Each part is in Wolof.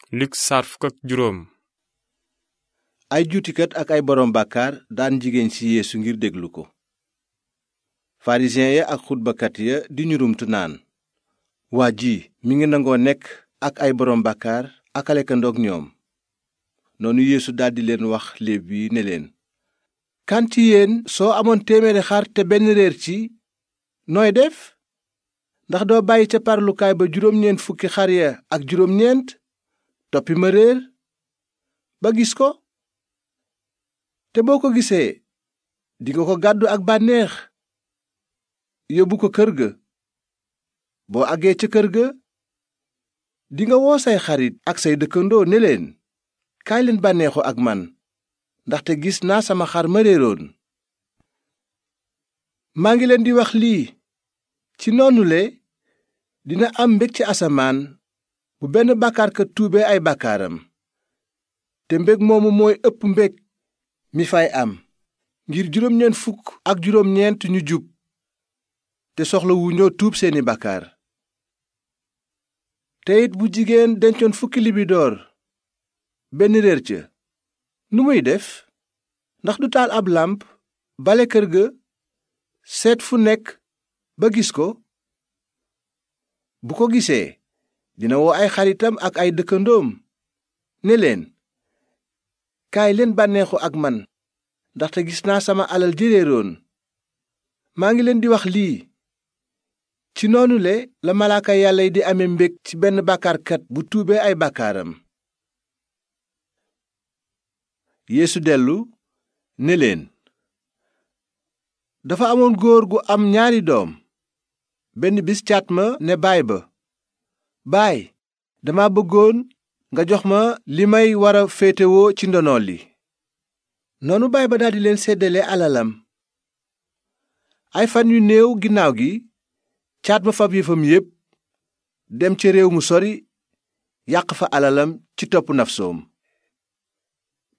Luk saar fukk ak juróom. ay juutikat ak ay boroom bàkkaar daan jigéen ci Yeesu ngir déglu ko. farisiyen ya ak xutbakat ya di ñurumtu naan, waa ji mi ngi nangoo nekk ak ay boroom bàkkaar ak a lekkandoog ñoom. noonu Yeesu daldi leen wax léeb yi ne leen, kan ci yéen soo amoon 100 xar te benn réer ci nooy def? ndax doo bàyyi ca parlukaay ba 90 xar ya ak 9 toppi ma réer ba gis ko? te boo ko gisee dinga ko gàddu ak bànneex yóbbu ko kër ga. boo àggee ca kër ga dinga woo say xarit ak say dëkkandoo ne leen, kaay leen bànneexu ak man, ndaxte gis naa sama xar ma réeroon. maa ngi leen di wax lii, ci noonule dina am mbég ci asamaan bu benn bàkkaarkat tuubee ay bàkkaaram, te mbég moomu mooy ëpp mbég mi fay am ngir 99 ñu jub te soxla wu ñoo tuub seeni bàkkaar. te it bu jigéen dencoon 10 libidoor benn réer ca, nu muy def? ndax du taal ab làmp bale kër ga seet fu nekk ba gis ko? bu ko gisee dina woo ay xaritam ak ay dëkkandoom ne leen, kaay leen bànneexu ak man, ndaxte gis naa sama alal ji réeroon. maa ngi leen di wax lii, ci noonule la malaaka yàlla yi di amee mbég ci benn bàkkaarkat bu tuubee ay bàkkaaram. Yeesu dellu ne leen, dafa amoon góor gu am 2 doom. benn bis caat ma ne baay ba, baay, dama bëggoon nga jox ma li may wara féetewoo ci ndono li. noonu baay ba daldi leen séddale alalam. ay fan yu néew ginnaaw gi caat ma fab yëfam yépp dem ca réew mu sori, yàq fa alalam ci topp nafsoom.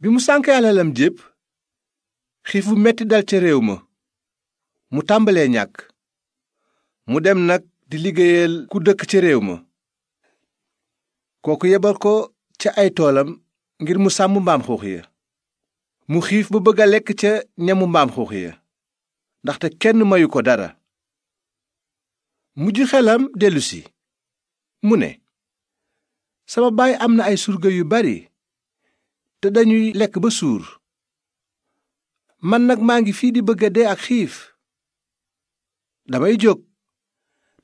bi mu sànkee alalam jépp, xiif bu metti dal ca réew ma, mu tàmbalee ñàkk. mu dem nag di liggéeyal ku dëkk ca réew ma. kooku yebal ko ca ay toolam ngir mu sàmm mbaam xuux ya. mu xiif ba bëgg a lekk ca ñamu mbaam xuux ya, ndaxte kenn mayu ko dara. mujj xelam dellusi, mu ne, sama baay am na ay surga yu bari te dañuy lekk ba suur. man nag maa ngi fii di bëgg a dee ak xiif. damay jóg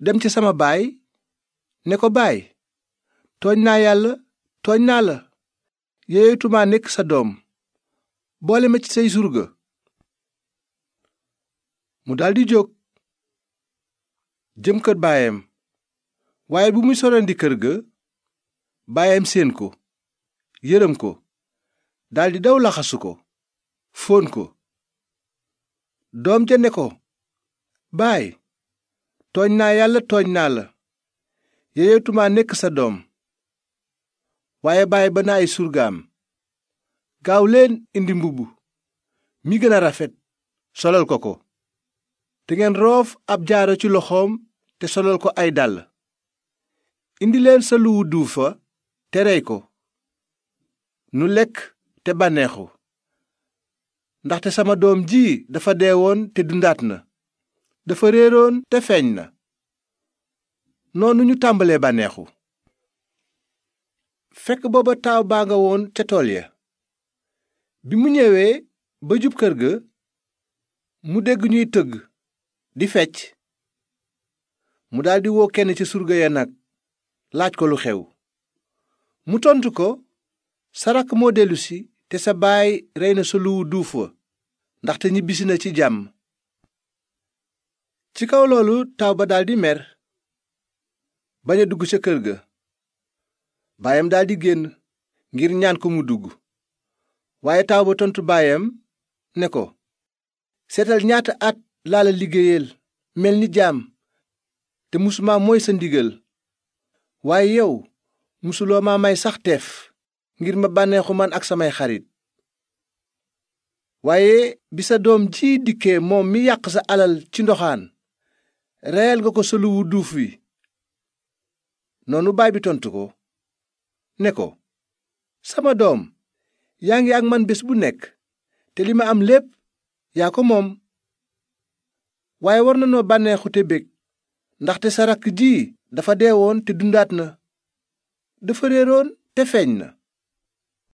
dem ci sama baay ne ko, baay, tooñ naa yàlla, tooñ naa la, yeeyatumaa nekk sa doom, boole ma ci say surga. mu daldi jóg jëm kër baayam. waaye bu muy sorandi kër ga, baayam séen ko, yërëm ko, daldi daw laxasu ko, fóon ko. doom ja ne ko, baay, tooñ naa yàlla, tooñ naa la, yeeyatumaa nekk sa doom. waaye baay ba na ay surgaam, gaaw leen indi mbubb mi gën a rafet solal ko ko, te ngeen roof ab jaaro ci loxoom te solal ko ay dàll. indi leen sa luwu duufa te rey ko, nu lekk te bànneexu, ndaxte sama doom ji dafa deewoon te dundaat na, dafa réeroon te feeñ na. noonu ñu tàmbalee bànneexu. fekk booba taaw baa nga woon ca tool ya. bi mu ñëwee ba jub kër ga, mu dégg ñuy tëgg di fecc. mu daldi woo kenn ci surga ya nag, laaj ko lu xew. mu tontu ko, sa rakk moo dellusi te sa baay rey na sa luwu duuf wa, ndaxte ñibbisi na ci jàmm. ci kaw loolu taaw ba daldi mer, bañ a dugg ca kër ga. baayam daldi génn ngir ñaan ko mu dugg. waaye taaw ba tontu baayam ne ko, seetal ñaata at laa la liggéeyal mel ni jaam, te musuma mooy sa ndigal. waaye yow musuloo ma may sax teef ngir ma bànneexu man ak samay xarit. waaye bi sa doom ji dikkee, moom mi yàq sa alal ci ndoxaan, reyal nga ko sa luwu duuf wi. noonu baay bi tontu ko ne ko, sama doom yaa ngi ak man bés bu nekk te li ma am lépp yaa ko moom. waaye war nanoo bànneexu te bég ndaxte sa rakk ji dafa deewoon te dundaat na, dafa réeroon te feeñ na,